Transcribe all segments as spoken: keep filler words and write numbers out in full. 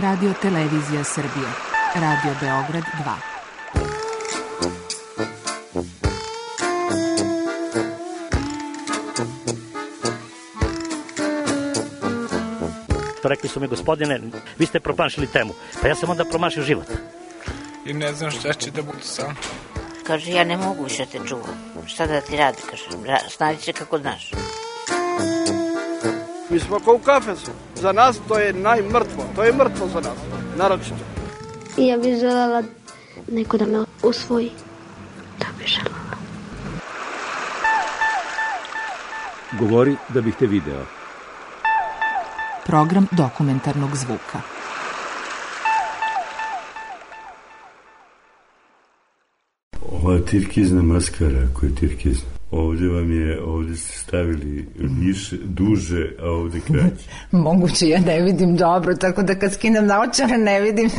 Radio Televizija Srbije. Radio Beograd dva. Rekli su mi, gospodine, vi ste promašili temu. Pa ja sam onda promašio život. I ne znam šta će da budu sam. Kaže, ja ne mogu više te čuvam. Šta da ti radi, kaže, snađi se kako znaš. Mi smo kao u kafesu. Za nas to je najmrtvo. To je mrtvo za nas, naročito. I ja bih želela neko da me usvoji. Da bih želela. Govori da bih te video. Program dokumentarnog zvuka. Ova tirkizna maskara koja je tirkizna. Ovdje vam je, ovdje ste stavili više, duže, a ovdje kraće. Moguće, ja ne vidim dobro, tako da kad skinem naočare ne vidim.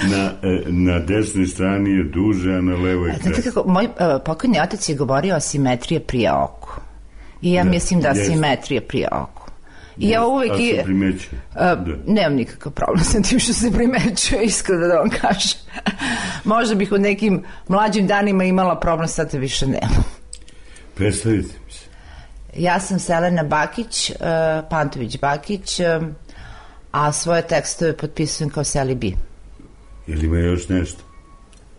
Na, na desnoj strani je duže, a na levoj kraće. Znate kako, moj uh, pokojni otac je govorio o simetrije prije oku. I ja da, mislim da jest. Simetrija prije oku. I ja uvijek... A se primećuje? Uh, nemam nikakav problem sa tim što se primećuje, iskreno da vam kažem. Možda bih u nekim mlađim danima imala problem, sad te više nemam. Predstavite mi se. Ja sam Selena Bakić, uh, Pantović Bakić, uh, a svoje tekstove potpisujem kao Seli B. Ili ima još nešto?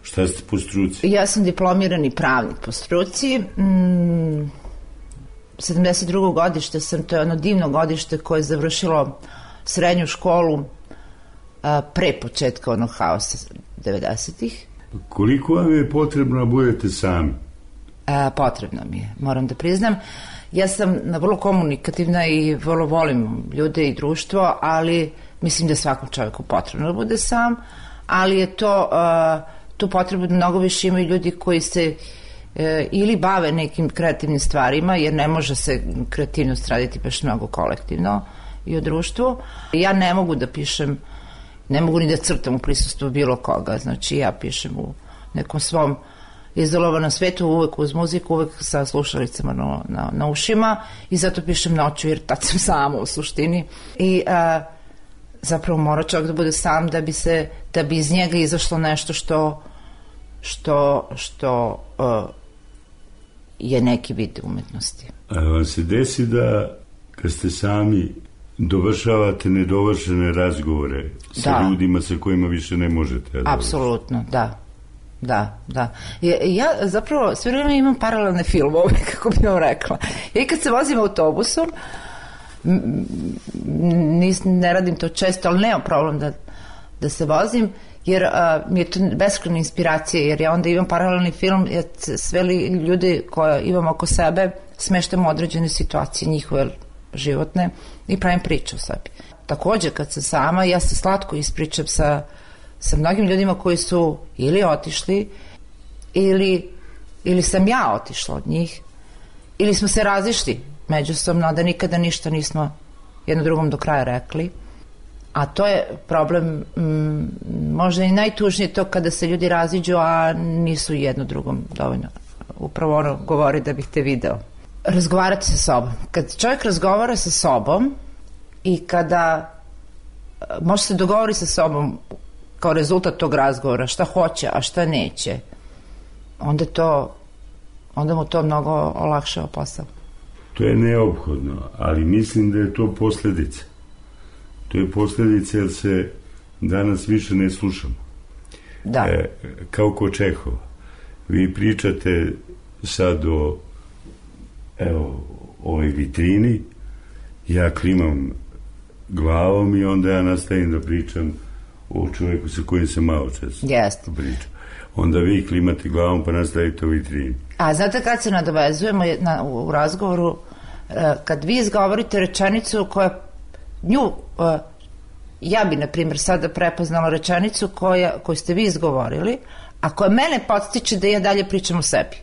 Šta ste po struci? Ja sam diplomirani pravnik po struci. Mm, sedamdeset drugo godište sam, to je ono divno godište koje je završilo srednju školu a, pre početka onog haosa devedesetih. Koliko vam je potrebno da budete sami? A, potrebno mi je, moram da priznam. Ja sam vrlo komunikativna i vrlo volim ljude i društvo, ali mislim da je svakom čovjeku potrebno da bude sam, ali je to, a, tu potrebu da mnogo više imaju ljudi koji se ili bave nekim kreativnim stvarima, jer ne može se kreativnost raditi baš mnogo kolektivno i u društvu. Ja ne mogu da pišem, ne mogu ni da crtam u prisustvu bilo koga, znači ja pišem u nekom svom izolovanom svetu, uvek uz muziku, uvek sa slušalicama na, na, na ušima i zato pišem noću, jer tad sam sama u suštini. I a, zapravo mora čovjek da bude sam da bi se, da bi iz njega izašlo nešto što što, što uh, je neki vid umetnosti. A vam se desi da kad ste sami dovršavate nedovršene razgovore sa da. ljudima sa kojima više ne možete? Da apsolutno, da. Da, da. Ja, ja zapravo sve vreme imam paralelne filmove, kako bi vam rekla. I kad se vozim autobusom, nis, ne radim to često, ali nemam problem da, da se vozim, jer uh, mi je to beskrajna inspiracija, jer ja onda imam paralelni film, ja sve ljude koje imam oko sebe smeštam u određene situacije njihove životne i pravim priču o sebi. Također kad sam sama, ja se slatko ispričam sa, sa mnogim ljudima koji su ili otišli ili, ili sam ja otišla od njih ili smo se razišli međusobno, da nikada ništa nismo jedno drugom do kraja rekli. A to je problem, m, možda i najtužnije to kada se ljudi raziđu, a nisu jedno drugom dovoljno. Upravo ono govori da bih te video. Razgovarati sa sobom. Kad čovjek razgovara sa sobom i kada može se dogovori sa sobom kao rezultat tog razgovora šta hoće, a šta neće, onda to, onda mu to mnogo olakšava posao. To je neophodno, ali mislim da je to posljedica. To je posljedica jer se danas više ne slušamo. Da. E, kao ko Čehova. Vi pričate sad o evo, ovoj vitrini, ja klimam glavom i onda ja nastavim da pričam o čovjeku sa kojim se malo često yes. pričam. Onda vi klimate glavom pa nastavite o vitrini. A znate kad se nadovezujemo na, u, u razgovoru, kad vi izgovorite rečenicu koja nju, uh, ja bi na primjer sada prepoznala rečenicu koja, koju ste vi izgovorili, a koja mene podstiče da ja dalje pričam o sebi.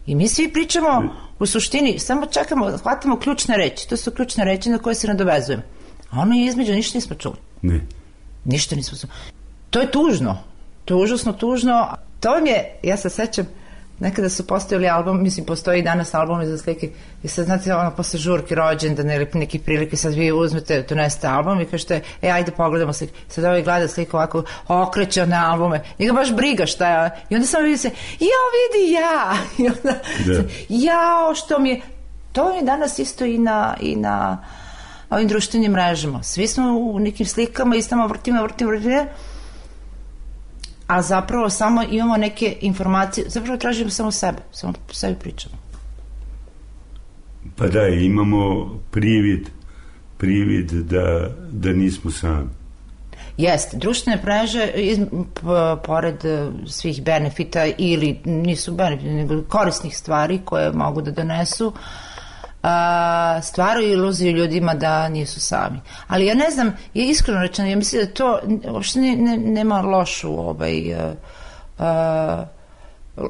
I mi svi pričamo u suštini, samo čekamo, hvatamo ključne reči, to su ključne reči na koje se nadovezujemo. A ono je između, ništa nismo čuli. Ne. Ništa nismo čuli. To je tužno, to je užasno tužno. To vam je, ja se sećam, nekada su postavili album, mislim, postoji i danas albumi za slike i sad, znate, ono, posle žurke, rođendane ili neki prilike, sad vi uzmete, donesete album i kažete, e, ajde pogledamo slike. Sad ovaj gleda sliku ovako, okreće one albume, njega baš briga šta je, i onda samo vidi se, jao, vidi ja, i onda, Da. jao, što mi je, to je danas isto i na, i na ovim društvenim mrežama. Svi smo u nekim slikama i samo vrtimo, vrtimo, vrtimo, a zapravo samo imamo neke informacije, zapravo tražimo samo sebe, samo po sebi pričamo. Pa da, imamo privid, privid da, da nismo sami. Jeste, društvene mreže, iz, p- pored eh, svih benefita ili nisu benefita, nego korisnih stvari koje mogu da donesu, a, stvaraju iluziju ljudima da nisu sami. Ali ja ne znam, je iskreno rečeno, ja mislim da to uopšte ne, ne, nema lošu ovaj, a, a,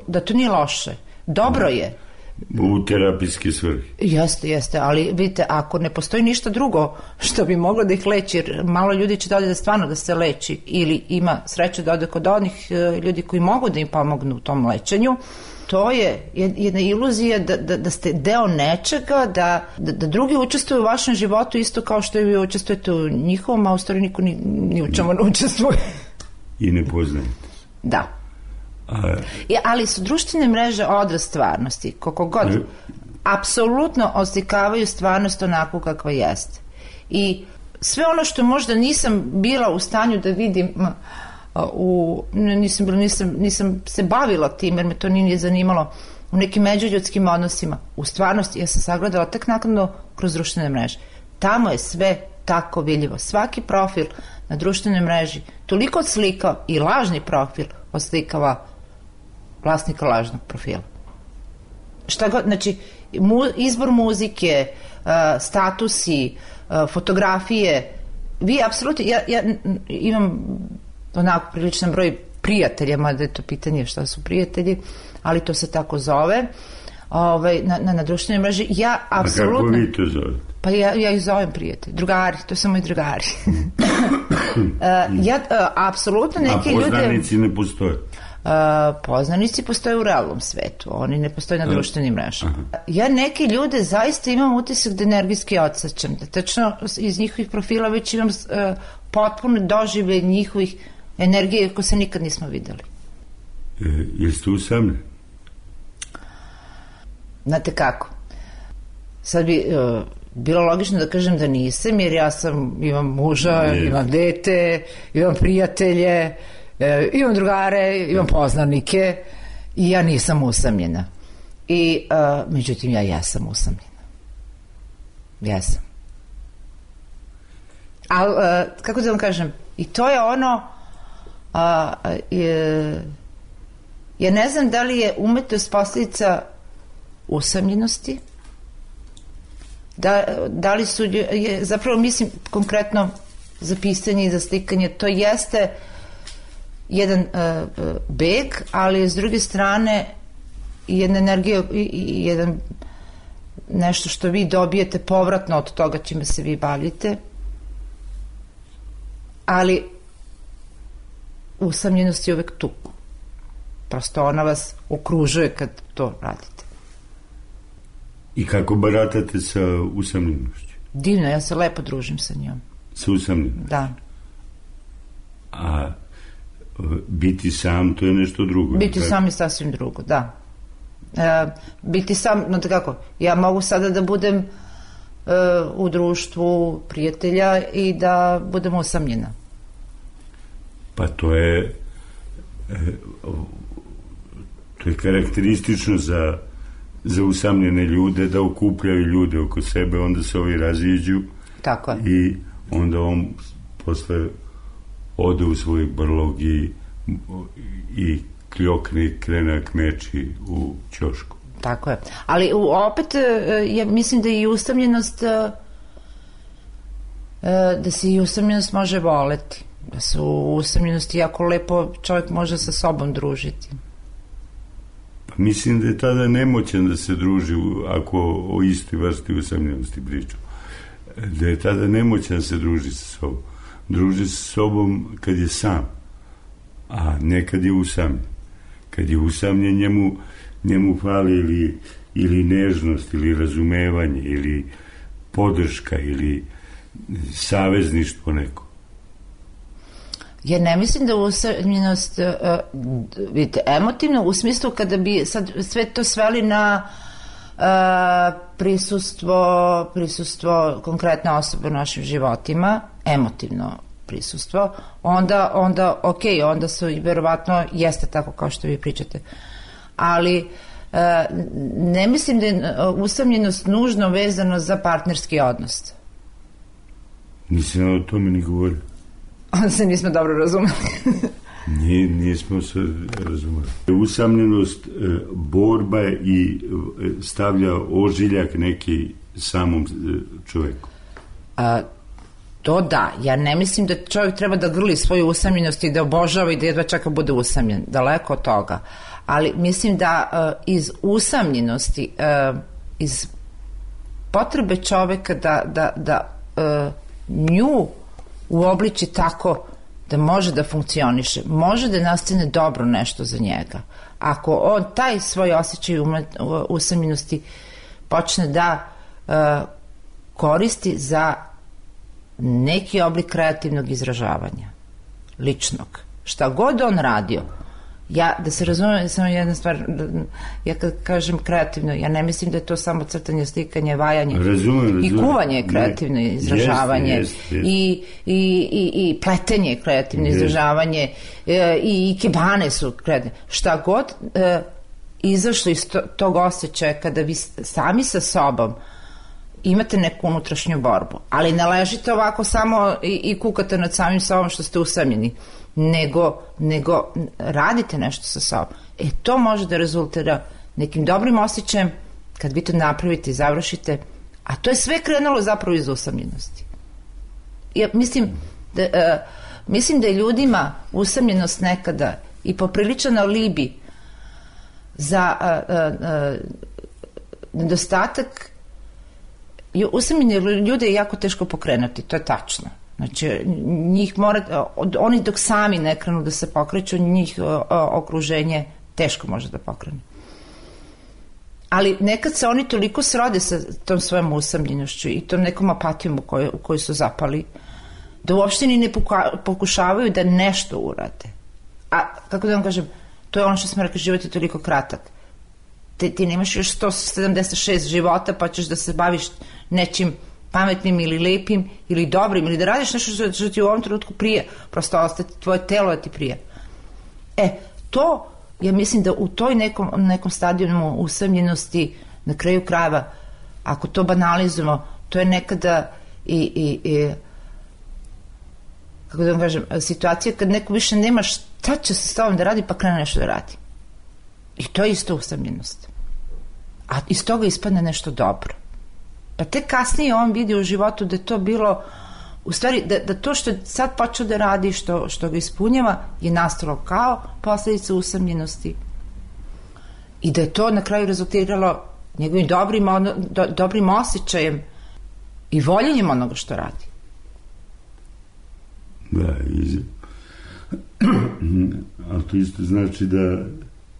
da to nije loše. Dobro je. U terapijske svrhe. Jeste, jeste, ali vidite, ako ne postoji ništa drugo što bi moglo da ih leči, jer malo ljudi će dođe da stvarno da se leči ili ima sreće da ode kod onih e, ljudi koji mogu da im pomognu u tom lečenju, to je jedna iluzija da, da, da ste deo nečega, da, da, da drugi učestvuju u vašem životu isto kao što i vi učestvujete u njihovom, a u stvari niko ni, ni u čemu ne učestvuje. I ne poznajete. Da. A, I, ali su društvene mreže odraz stvarnosti, koliko god Ne. apsolutno oslikavaju stvarnost onako kakva jeste. I sve ono što možda nisam bila u stanju da vidim m, a, u, ne, nisam, bila, nisam, nisam se bavila tim jer me to nije zanimalo u nekim međuljudskim odnosima, u stvarnosti ja sam sagledala tek naknadno kroz društvene mreže. Tamo je sve tako vidljivo. Svaki profil na društvenoj mreži toliko slika i lažni profil oslikava vlasnika lažnog profila. Šta god, znači, mu, izbor muzike, uh, statusi, uh, fotografije, vi apsolutno, ja, ja imam onako priličan broj prijatelja, mada je to pitanje šta su prijatelji, ali to se tako zove, ovaj, na, na, na društvenoj mreži. Ja apsolutno... A kako vi to zovete? Pa ja, ja ih zovem prijatelji, drugari, to su moji drugari. uh, ja uh, apsolutno neke ljude... A poznanici ljude, ne postoje? Uh, poznanici postoje u realnom svetu, oni ne postoje na društvenim mrežama. Ja neke ljude zaista imam utisak da energijski odsačam, da tačno iz njihovih profila već imam uh, potpuno doživlje njihovih energije koje se nikad nismo videli. E, jeste usamljeni? Znate kako? Sad bi uh, bilo logično da kažem da nisam, jer ja sam, imam muža, ne. imam dete, imam prijatelje, E, imam drugare, imam poznanike i ja nisam usamljena. I, a, međutim, ja jesam usamljena. Jesam. Ali, kako da vam kažem, i to je ono, a, je, ja ne znam da li je umetnost posljedica usamljenosti, da, da li su, je, zapravo mislim konkretno za pisanje i za slikanje, to jeste jedan uh, beg, ali s druge strane jedna energija i, i jedan nešto što vi dobijete povratno od toga čime se vi bavite, ali usamljenost je uvek tu, prosto ona vas okružuje kad to radite. I kako baratate sa usamljenošću? Divno, ja se lepo družim sa njom. Sa usamljenošću? Da. A biti sam, to je nešto drugo. Biti tako? Sam je sasvim drugo, da. E, biti sam, no kako, ja mogu sada da budem e, u društvu prijatelja i da budem usamljena. Pa to je e, to je karakteristično za, za usamljene ljude, da okupljaju ljude oko sebe, onda se ovi raziđu. Tako je. I onda on posle ode u svoj brlog i, i kljokne, krene kmeči u ćošku. Tako je. Ali opet, ja mislim da i usamljenost, da se i usamljenost može voleti. Da se u usamljenosti jako lepo čovjek može sa sobom družiti. Pa mislim da je tada nemoćan da se druži ako o istoj vrsti usamljenosti pričam. Da je tada nemoćan da se druži sa sobom. Druži sa sobom kad je sam, a ne kad je usamljen. Kad je usamljen, njemu njemu fali ili, ili nežnost, ili razumevanje, ili podrška, ili savezništvo neko. Ja ne mislim da usamljenost, uh, vidite, emotivno u smislu kada bi sad sve to sveli na uh, prisustvo, prisustvo konkretne osobe u našim životima, emotivno prisustvo, onda, onda ok, onda su verovatno jeste tako kao što vi pričate. Ali uh, ne mislim da je usamljenost nužno vezano za partnerski odnos. Nisam o tome ni govorio. Onda se nismo dobro razumeli. Nije, nismo se razumeli. Usamljenost, borba i stavlja ožiljak neki samom čoveku. A, to da, ja ne mislim da čovjek treba da grli svoju usamljenost i da obožava i da jedva čeka bude usamljen, daleko od toga. Ali mislim da uh, iz usamljenosti, uh, iz potrebe čoveka da, da, da uh, nju uobliči tako da može da funkcioniše, može da nastane dobro nešto za njega. Ako on taj svoj osjećaj usamljenosti počne da uh, koristi za neki oblik kreativnog izražavanja, ličnog, šta god on radio, ja, da se razumem, samo jedna stvar, ja kad kažem kreativno, ja ne mislim da je to samo crtanje, slikanje, vajanje. Razumem, razumem. I kuvanje je kreativno ne, izražavanje. Jest, jest, jest. I, i, i, i pletenje je kreativno jest. izražavanje. E, i, I kebane su kreativne. Šta god e, izašlo iz to, tog osjećaja kada vi sami sa sobom imate neku unutrašnju borbu, ali ne ležite ovako samo i, i kukate nad samim sobom što ste usamljeni, nego, nego radite nešto sa sobom. E, to može da rezultira nekim dobrim osjećajem kad vi to napravite i završite, a to je sve krenulo zapravo iz usamljenosti. Ja mislim da, uh, mislim da je ljudima usamljenost nekada i popriličan alibi za uh, uh, uh, nedostatak. Usamljene ljude je jako teško pokrenuti, to je tačno. Znači, njih mora, oni dok sami ne krenu da se pokreću, njih o, o, okruženje teško može da pokrene. Ali nekad se oni toliko srode sa tom svojom usamljenošću i tom nekom apatijom u kojoj, u kojoj su zapali, da uopšte ni ne pokušavaju da nešto urade. A, kako da vam kažem, to je ono što smo rekli, život je toliko kratak. Ti, ti nemaš još sto sedamdeset šest života, pa ćeš da se baviš nečim pametnim ili lepim ili dobrim ili da radiš nešto što, što ti u ovom trenutku prije, prosto ostati tvoje telo da ti prije. E, to, ja mislim da u toj nekom, nekom stadijumu usamljenosti, na kraju krajeva, ako to banalizujemo, to je nekada i, i, i kako da vam kažem, situacija kad neko više nema šta će se s tobom da radi, pa krene nešto da radi. I to je isto usamljenost. A iz toga ispadne nešto dobro. Pa tek kasnije on vidi u životu da je to bilo, u stvari, da, da to što je sad počeo da radi, što, što ga ispunjava, je nastalo kao posljedica usamljenosti. I da je to na kraju rezultiralo njegovim dobrim, do, dobrim osjećajem i voljenjem onoga što radi. Da, iz... ali to isto znači da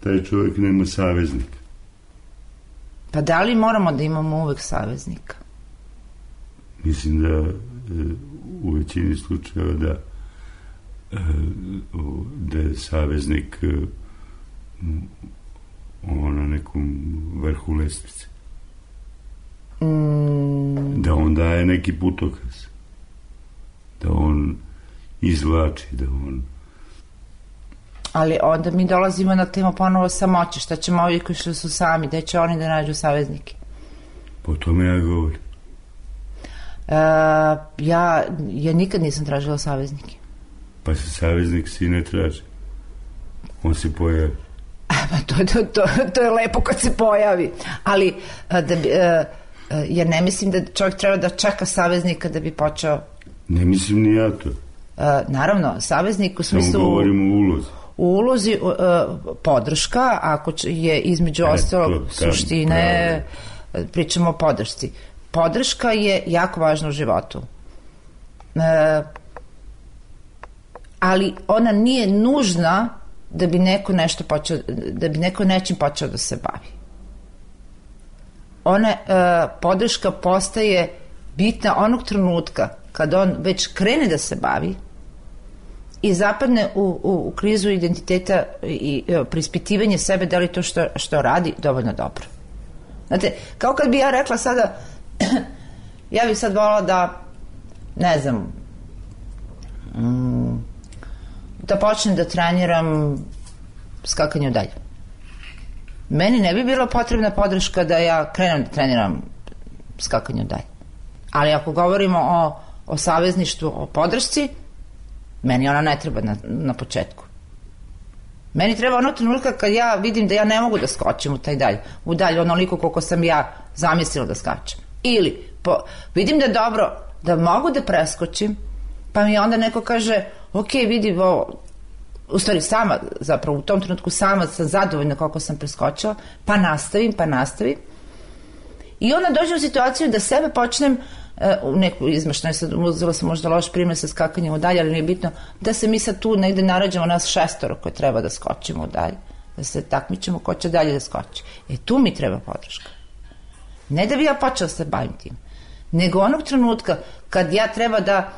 taj čovjek nema saveznika. Pa da li moramo da imamo uvek saveznika? Mislim da u većini slučajeva da da je saveznik on na nekom vrhu lestvice. Mm. Da on daje neki putokaz. Da on izvlači, da on... Ali onda mi dolazimo na temu ponovo samoće. Šta ćemo ovi koji što su sami? Gde će oni da nađu saveznike? Po tome ja govorim. E, ja, ja nikad nisam tražila saveznike. Pa se saveznik si ne traži. On se pojavi. Pa to, to, to, to je lepo kad se pojavi. Ali da bi, e, ja ne mislim da čovjek treba da čeka saveznika da bi počeo... Ne mislim ni ja to. E, naravno, saveznik u smislu... Samo govorimo o ulozi. U ulozi uh, podrška, ako je između ostalog suštine, pravi. Pričamo o podršci. Podrška je jako važna u životu. Uh, ali ona nije nužna da bi neko nešto počeo, da bi neko nečim počeo da se bavi. Ona e, podrška postaje bitna onog trenutka kad on već krene da se bavi i zapadne u, u, u krizu identiteta i e, preispitivanje sebe da li to što, što radi dovoljno dobro. Znate, kao kad bi ja rekla sada ja bih sad volila da ne znam mm, da počnem da treniram skakanje u dalje. Meni ne bi bila potrebna podrška da ja krenem da treniram skakanje u dalje. Ali ako govorimo o, o savezništvu, o podršci, meni ona ne treba na, na početku. Meni treba ono trenutka kad ja vidim da ja ne mogu da skočim u taj dalj, u dalj onoliko koliko sam ja zamislila da skačem. Ili po, vidim da je dobro, da mogu da preskočim, pa mi onda neko kaže, ok, vidi, ovo, u stvari sama, zapravo u tom trenutku sama sam zadovoljna koliko sam preskočila, pa nastavim, pa nastavim. I onda dođem u situaciju da sebe počnem u neku izmaštenu, sad uzela sam možda loš primjer sa skakanjem u dalje, ali nije bitno, da se mi sad tu negde narađamo nas šestoro koje treba da skočimo u dalje, da se takmičemo ko će dalje da skoči. E tu mi treba podrška. Ne da bi ja počela se bavim tim, nego onog trenutka kad ja treba da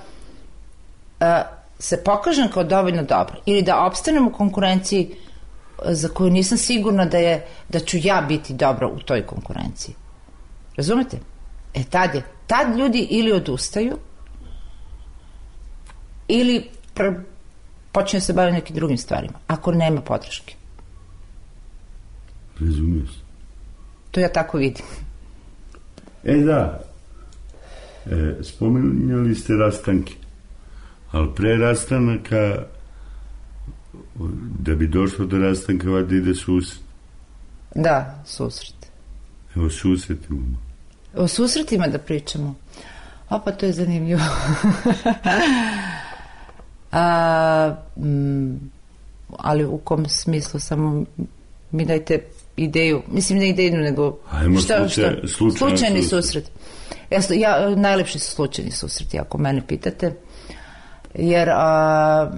uh, se pokažem kao dovoljno dobro ili da opstanem u konkurenciji za koju nisam sigurna da, je, da ću ja biti dobro u toj konkurenciji. Razumete? E tad je, tad ljudi ili odustaju ili pr- počinju se baviti nekim drugim stvarima, ako nema podrške. Razumio se. To ja tako vidim. E da, e, spomenuli ste rastanke, ali pre rastanaka, da bi došlo do rastanka, valjda ide susret. Da, susret. Evo susretima. O susretima da pričamo. O, pa to je zanimljivo. A, m, ali u kom smislu? Samo mi dajte ideju. Mislim, ne ideju, nego Ajmo šta, slučaj, šta? slučajni slučajni susret. susret. Ja, ja, najlepši su slučajni susreti, ako mene pitate. Jer a,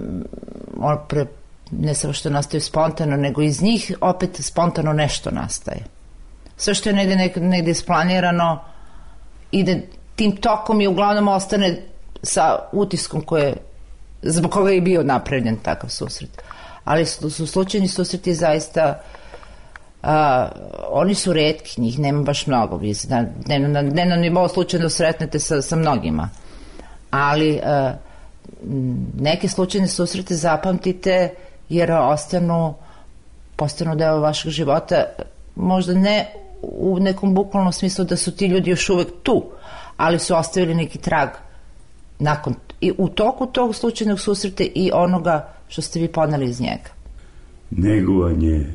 on pre, ne samo što nastaju spontano, nego iz njih opet spontano nešto nastaje. Sve što je negde, negde, negde isplanirano ide tim tokom i uglavnom ostane sa utiskom koje, zbog koga je bio napravljen takav susret. Ali su, su slučajni susreti zaista a, oni su retki, njih nema baš mnogo. Vi ne, na, ne na nivou slučajno sretnete sa, sa mnogima. Ali a, neke slučajne susrete zapamtite jer ostanu postanu deo vašeg života, možda ne u nekom bukvalnom smislu da su ti ljudi još uvek tu, ali su ostavili neki trag nakon, i u toku tog slučajnog susreta i onoga što ste vi poneli iz njega. Negovanje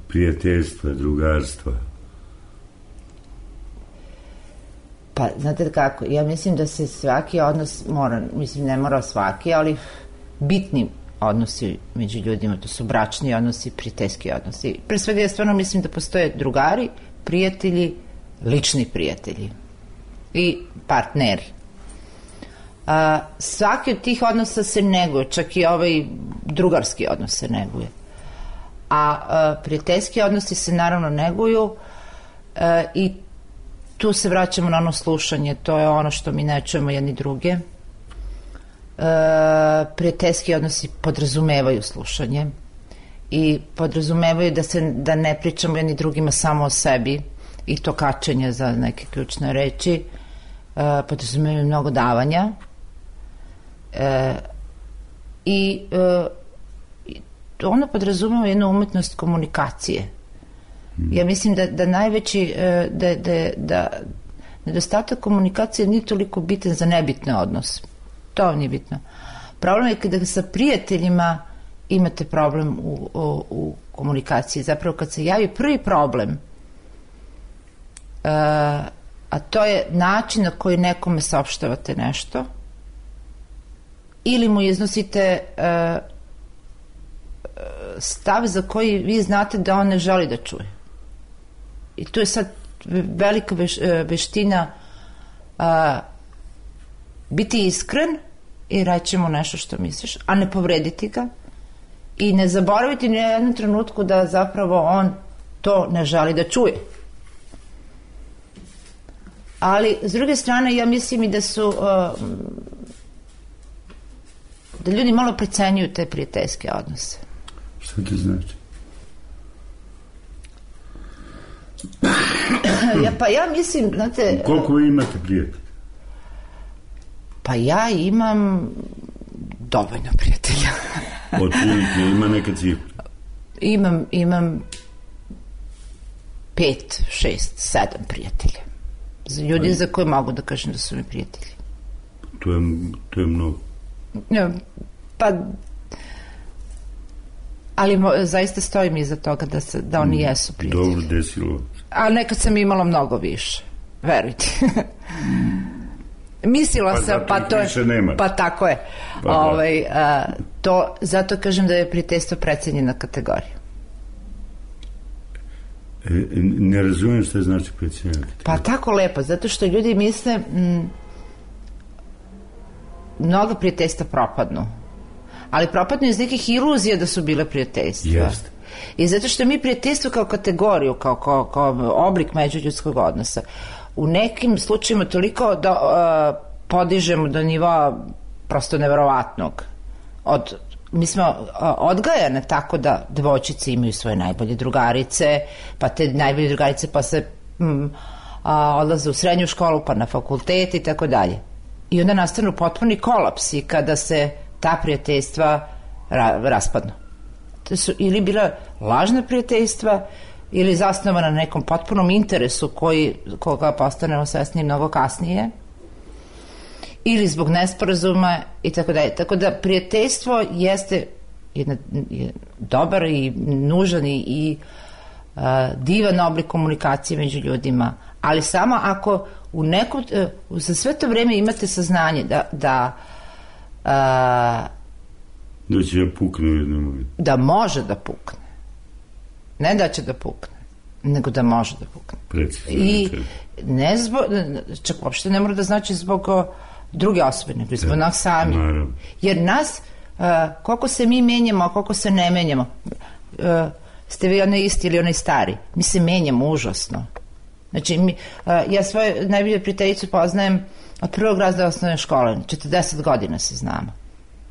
prijateljstva, drugarstva. Pa, znate kako, ja mislim da se svaki odnos mora, mislim ne mora svaki, ali bitni odnosi među ljudima, to su bračni odnosi, prijateljski odnosi. Pre svega ja stvarno mislim da postoje drugari, prijatelji, lični prijatelji i partneri. A, svaki od tih odnosa se neguje, čak i ovaj drugarski odnos se neguje. A, a prijateljski odnosi se naravno neguju a, i tu se vraćamo na ono slušanje, to je ono što mi ne čujemo jedni druge. Uh, prijateljski odnosi podrazumevaju slušanje i podrazumevaju da se da ne pričamo jedni drugima samo o sebi i to kačenje za neke ključne reči, uh, podrazumevaju mnogo davanja uh, i uh, ono podrazumeva jednu umetnost komunikacije. Mm. Ja mislim da, da najveći uh, da, da, da nedostatak komunikacije nije toliko bitan za nebitne odnose. To vam nije bitno. Problem je kada sa prijateljima imate problem u, u, u komunikaciji. Zapravo kad se javi prvi problem, uh, a to je način na koji nekome saopštavate nešto, ili mu iznosite uh, stav za koji vi znate da on ne želi da čuje. I tu je sad velika veš, veština uh, biti iskren i reći mu nešto što misliš, a ne povrediti ga i ne zaboraviti ni u jednom trenutku da zapravo on to ne želi da čuje. Ali, s druge strane, ja mislim i da su uh, da ljudi malo precenjuju te prijateljske odnose. Šta to znači? ja, pa ja mislim, znate... Koliko vi imate prijatelja? Pa ja imam dovoljno prijatelja. Otprilike, ima neka cifra? Imam, imam pet, šest, sedam prijatelja. Ljudi Aj. za koje mogu da kažem da su mi prijatelji. To je, to je mnogo. Ja, pa... Ali mo, zaista stojim iza toga da, se, da oni jesu prijatelji. Dobro, desilo. A nekad sam imala mnogo više. Verujte. Mislila pa sam, pa to je... Pa tako je. Pa, ovaj, a, to, zato kažem da je prijateljstvo precenjena kategorija. E, ne razumijem što je znači precenjena kategorija. Pa tako lepo, zato što ljudi misle m, mnogo prijateljstva propadnu. Ali propadnu iz nekih iluzija da su bile prijateljstva. Jeste. I zato što mi prijateljstvo kao kategoriju, kao, kao, kao oblik međuljudskog odnosa, u nekim slučajima toliko da uh, podižemo do nivoa prosto neverovatnog. Od, mi smo uh, odgajane tako da devojčice imaju svoje najbolje drugarice, pa te najbolje drugarice pa se mm, uh, odlaze u srednju školu, pa na fakultet i tako dalje. I onda nastanu potpuni kolapsi kada se ta prijateljstva ra, raspadnu. To su ili bila lažna prijateljstva ili zasnovana na nekom potpunom interesu koji, koga postanemo svesni mnogo kasnije, ili zbog nesporazuma i tako dalje. Tako da prijateljstvo jeste jedna, je dobar i nužan i, i uh, divan oblik komunikacije među ljudima, ali samo ako u nekom, uh, za sve to vreme imate saznanje da da uh, da će da pukne u jednom momentu. Da može da pukne. Ne da će da pukne, nego da može da pukne. Precizno. I ne zbog, čak uopšte ne mora da znači zbog druge osobe, nego zbog nas sami. Naravno. Jer nas, uh, koliko se mi menjamo, a koliko se ne menjamo, uh, ste vi onaj isti ili onaj stari, mi se menjamo užasno. Znači, mi, uh, ja svoju najbolju prijateljicu poznajem od prvog razreda osnovne škole, četrdeset godina se znamo.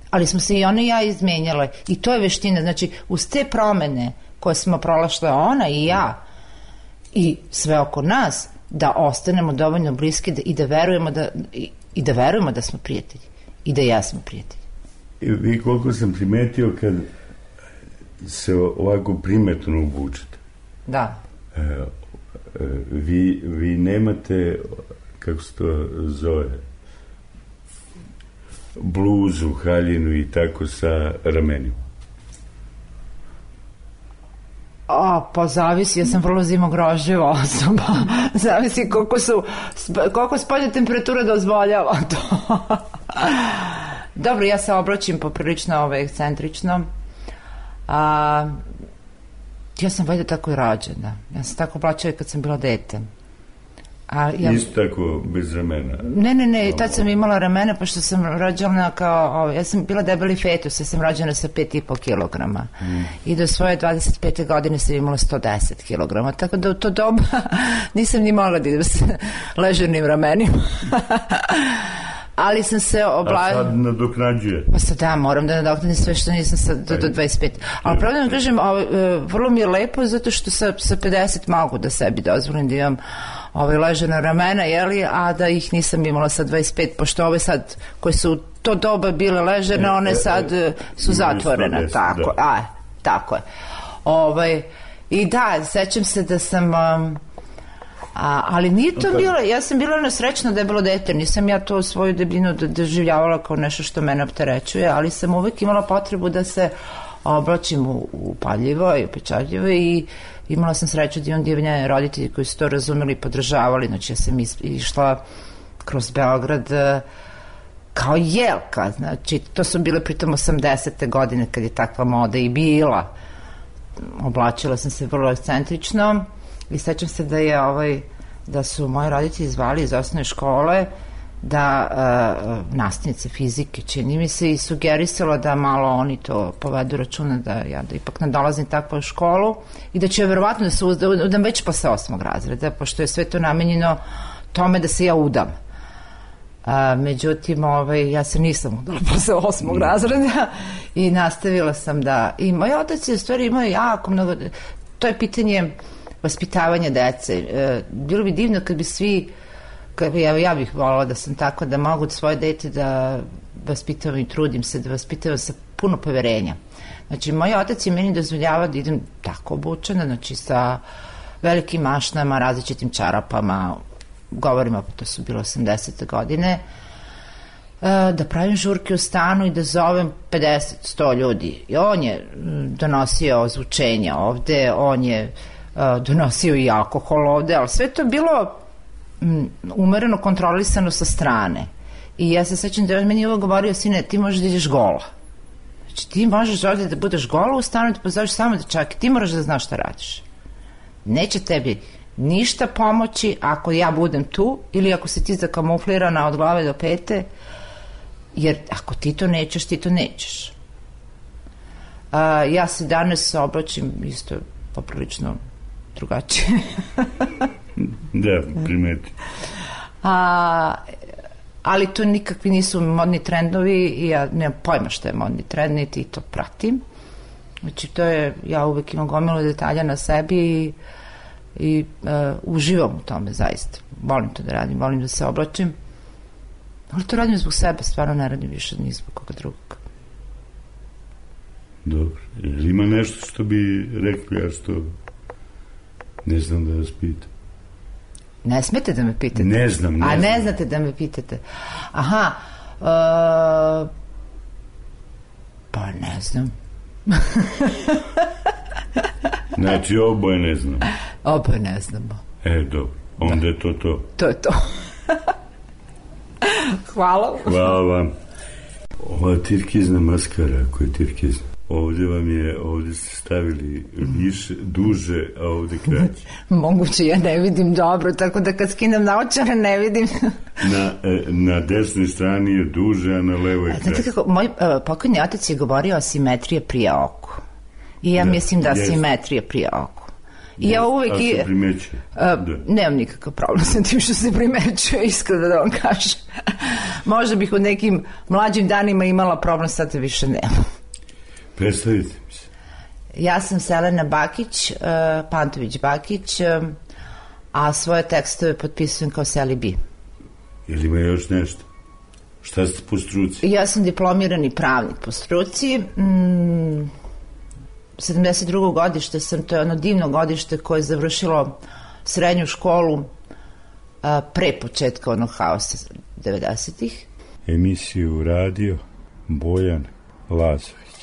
Ali smo se i ona i ja izmenjale i to je veština. Znači, uz te promene koje smo prolašle ona i ja i sve oko nas, da ostanemo dovoljno bliski da, i da verujemo da i, i da verujemo da smo prijatelji i da ja smo prijatelji. I vi koliko sam primetio kad se ovako primetno obučete. Da. E, e, vi, vi nemate, kako se to zove, bluzu, haljinu i tako sa ramenima. A, pa zavisi, ja sam vrlo zimogroživa osoba. Zavisi koliko su, koliko spoljna temperatura dozvoljava to. Dobro, ja se oblačim poprilično ovaj, ekscentrično. A, ja sam valjda tako i rađena. Ja sam tako oblačila kad sam bila dete. A ja, isto tako bez ramena? Ne, ne, ne, tad sam imala ramena pošto sam rođena kao, ja sam bila debeli fetus, ja sam rođena sa pet i po kilograma mm. i do svoje dvadeset pete godine sam imala sto deset kilograma, tako da u to doba nisam ni mogla da idem sa ležernim ramenima. Ali sam se obla... A sad nadoknađuje? Pa sad da, moram da nadoknadim sve što nisam sad do, do dvadeset pet. Ali pravda vam kažem, ovo, vrlo mi je lepo zato što sa, sa pedeset mogu da sebi dozvolim da imam ovaj ležena ramena, jeli, a da ih nisam imala sa dvadeset pet, pošto ove sad koje su to doba bile ležene, e, one sad e, su zatvorene. deset, tako, da. A, tako je. Ovaj, I da, sećam se da sam... Um, A, ali nije to bilo, ja sam bila nesrećna debelo dete, nisam ja to svoju debljinu doživljavala kao nešto što mene opterećuje, ali sam uvek imala potrebu da se oblačim upaljivo i upečatljivo i imala sam sreću da imam divne roditelji koji su to razumeli i podržavali, znači ja sam išla kroz Beograd kao jelka, znači to su bile pritom osamdesete godine kad je takva moda i bila, oblačila sam se vrlo ekscentrično. I sećam se da je ovaj, da su moji roditelji zvali iz osnovne škole da uh, nastavnice fizike, čini mi se, i sugerisala da malo oni to povedu računa, da ja da ipak ne dolazim takvu u školu i da će verovatno da se udam već posle osmog razreda, pošto je sve to namenjeno tome da se ja udam. A, međutim, ovaj, ja se nisam udala posle osmog razreda i nastavila sam da... I moj otac je u stvari imao jako mnogo... To je pitanje vaspitavanja dece. E, bilo bi divno kad bi svi... Kad bi, ja, ja bih volila da sam tako, da mogu svoje dete da vaspitavam i trudim se da vaspitavam sa puno poverenja. Znači, moj otac je meni dozvoljava da idem tako obučena, znači sa velikim mašnama, različitim čarapama, govorimo, to su bilo osamdesete godine, da pravim žurke u stanu i da zovem pedeset do sto ljudi. I on je donosio ozvučenja ovde, on je donosio i alkohol ovde, ali sve to bilo umereno kontrolisano sa strane. I ja se sećam da je meni ovo govorio, sine, ti možeš da ideš gola. Znači, ti možeš ovde da budeš gola u stanu, da pozoveš samo dečake, ti moraš da znaš šta radiš. Neće tebi ništa pomoći ako ja budem tu ili ako si ti zakamuflirana od glave do pete, jer ako ti to nećeš, ti to nećeš. A, ja se danas obraćam isto poprilično drugačije. Da, primeti. A, ali to nikakvi nisu modni trendovi i ja nemam pojma što je modni trend, niti to pratim. Znači, to je, ja uvek imam gomilu detalja na sebi i i uh, uživam u tome zaista. Volim to da radim, volim da se oblačim, ali to radim zbog sebe, stvarno ne radim više ni zbog koga drugog. Dobro. Ili ima nešto što bi rekli, ja što ne znam da vas pitam? Ne smete da me pitate? Ne znam, ne A znam. ne znate da me pitate? Aha, uh, pa ne znam. Znači, oboje ne znamo. Oboje ne znamo. E, dobro. Onda je to to. To je to. Hvala. Hvala vam. Ova tirkizna maskara, koja je tirkizna, ovde vam je, ovde ste stavili više, duže, a ovde kraće. Moguće, ja ne vidim dobro, tako da kad skinem naočare ne vidim. Na, na desnoj strani je duže, a na levoj je kraće. Znate kako, moj uh, pokojni otac je govorio o simetrije prije oku. I ja da, mislim da jest. Simetrija prije oku. I ja uvek... A se primećuje. Uh, nemam nikakav problem sa tim što se primećuje, iskreno da vam kažem. Možda bih u nekim mlađim danima imala problem, sad više nemam. Predstavite mi se. Ja sam Selena Bakić, uh, Pantović Bakić, uh, a svoje tekstove potpisujem kao Seli B. Ili ima još nešto? Šta ste po struci? Ja sam diplomirani pravnik po struci. Mm, sedamdeset drugo godište sam, to je ono divno godište koje je završilo srednju školu a, pre početka onog haosa devedesetih. Emisiju radio Bojan Lazović.